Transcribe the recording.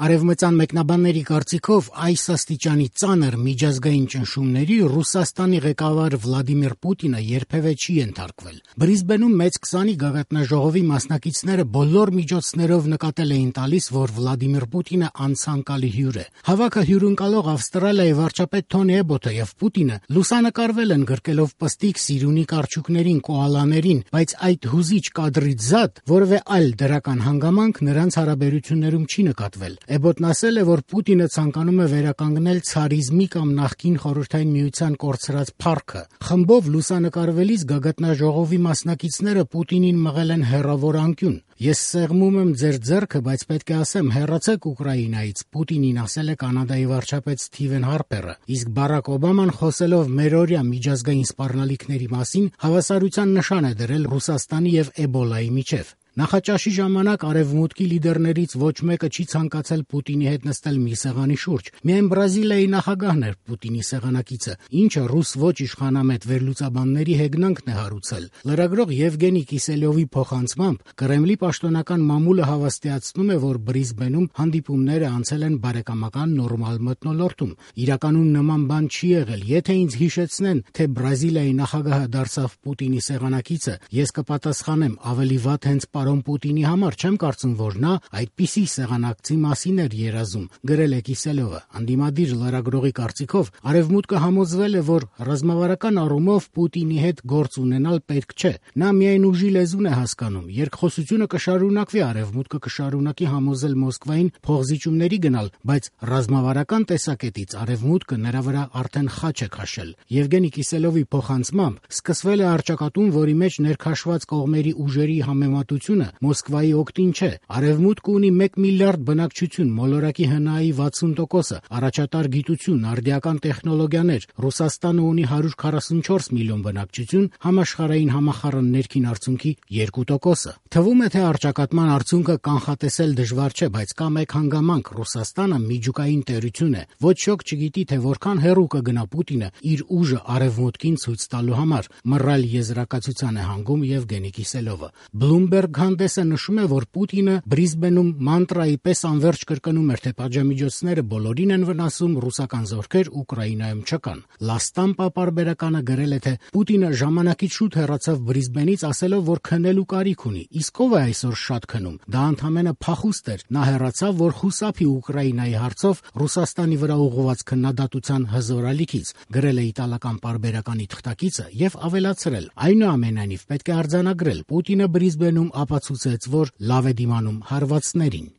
Արևմտյան մեկնաբանների կարծիքով այս աստիճանի ծանր միջազգային ճնշումների Ռուսաստանի ղեկավար Վլադիմիր Պուտինը երբևէ չի ենթարկվել։ Բրիզբենում մեծ 20-ի գագաթնաժողովի մասնակիցները բոլոր միջոցներով նկատել էին տալիս, որ Վլադիմիր Պուտինը անցանկալի հյուր է։ Հավաքը հյուրընկալող Ավստրալիայի վարչապետ Թոնի Էբոտը եւ Պուտինը լուսանկարվել են գրկելով պստիկ Սիրունի կարճուկներին, կոալաներին, բայց այդ հուզիչ կադրից զատ որևէ այլ դրական հանգամանք նրանց հարաբերություններում չի նկատվել։ Էբոտն ասել է, որ Պուտինը ցանկանում է վերականգնել ցարիզմի կամ նախկին Խորհրդային Միության կորցրած փառքը։ Խմբով լուսանկարվելիս գագաթնաժողովի մասնակիցները Պուտինին մղել են հեռավոր անկյուն։ Ես սեղմում եմ ձեր ձեռքը, բայց պետք է ասեմ, հեռացեք Ուկրաինայից, Պուտինին ասել է Կանադայի վարչապետ Սթիվեն Հարպերը, իսկ Բարակ Օբաման խոսելով մերօրյա միջազգային սպառնալիքների մասին հավասարության նշան է դրել Ռուսաստանի եւ Էբոլայի միջեւ։ Նախաճաշի ժամանակ Արևմուտքի լիդերներից ոչ մեկը չի ցանկացել Պուտինի հետ նստել մի սեղանի շուրջ։ Միայն Բրազիլիայի նախագահն էր Պուտինի սեղանակիցը, ինչը ռուս ոչ իշխանամետ վերլուծաբանների հեգնանքն է հարուցել։ Լրագրող Եվգենի Կիսելյովի փոխանցմամբ Կրեմլի պաշտոնական մամուլը հավաստիացնում է, որ Բրիզբենում հանդիպումները անցել են բարեկամական նորմալ մթնոլորտում։ Իրականում նման բան չի եղել։ Եթե ինձ հիշեցնեն, թե Բրազիլիայի նախագահը դարձավ Պուտինի սեղանակիցը, ես կպատասխանեմ ավելի վատ հենց պարոն Պուտինի համար, չեմ կարծում, որ նա այդպիսի սեղանակցի մասին էր երազում, գրել է Կիսելյովը։ Անդիմադիր լրագրողի կարծիքով Արևմուտքը համոզվել է, որ ռազմավարական առումով Պուտինի հետ գործ ունենալ պետք չէ։ Նա միայն ուժի լեզուն է հասկանում։ Երկխոսությունը կշարունակվի, Արևմուտքը կշարունակի համոզել Մոսկվային փոխզիջումների գնալ, բայց ռազմավարական տեսակետից Արևմուտքը նրա վրա արդեն խաչ է քաշել։ Եվգենի Կիսելյովի փոխանցմամբ սկսվել է առճակատում, որի մեջ ներքաշված կողմերի ուժերի համեմատությունը Մոսկվայի օգտին չէ։ Արևմուտքը ունի 1 միլիարդ բնակչություն, մոլորակի ՀՆԱ-ի 60%, առաջատար գիտություն, արդիական տեխնոլոգիաներ։ Ռուսաստանը ունի 144 միլիոն բնակչություն, համաշխարհային համախառն ներքին արդյունքի 2%։ Թվում է, թե առճակատման արդյունքը կանխատեսել դժվար չէ, բայց կա մեկ հանգամանք՝ Ռուսաստանը միջուկային տերություն է։ Ոչ ոք չգիտի, թե որքան հեռու կգնա Պուտինը իր ուժը Արևմուտքին ցույց տալու համար։ Մռայլ եզրակացության է հանգում Եվգենի Կիսելյովը։ Bloomberg հանդեսը նշում է, որ Պուտինը Բրիզբենում մանտրայի պես անverջ կրկնում էր, թե պատժամիջոցները բոլորին են վնասում, ռուսական զորքեր Ուկրաինայում չկան։ La Stampa պարբերականը գրել է, թե Պուտինը ժամանակից շուտ հեռացավ Բրիզբենից, ասելով, որ քնելու կարիք ունի։ Իսկ ով է այսօր շատ քնում։ Դա ընդհանրապես փախուստ էր։ Նա հեռացավ, որ խուսափի Ուկրաինայի հարցով Ռուսաստանի վրա ուղղված քննադատության հզոր ալիքից, գրել է իտալական պարբերականի թղթակիցը եւ ավելացրել. այնուամենայնիվ պետք է արձանագրել, Պուտինը Բրիզբենում ապացուցեց, որ լավ է դիմանում հարվածներին։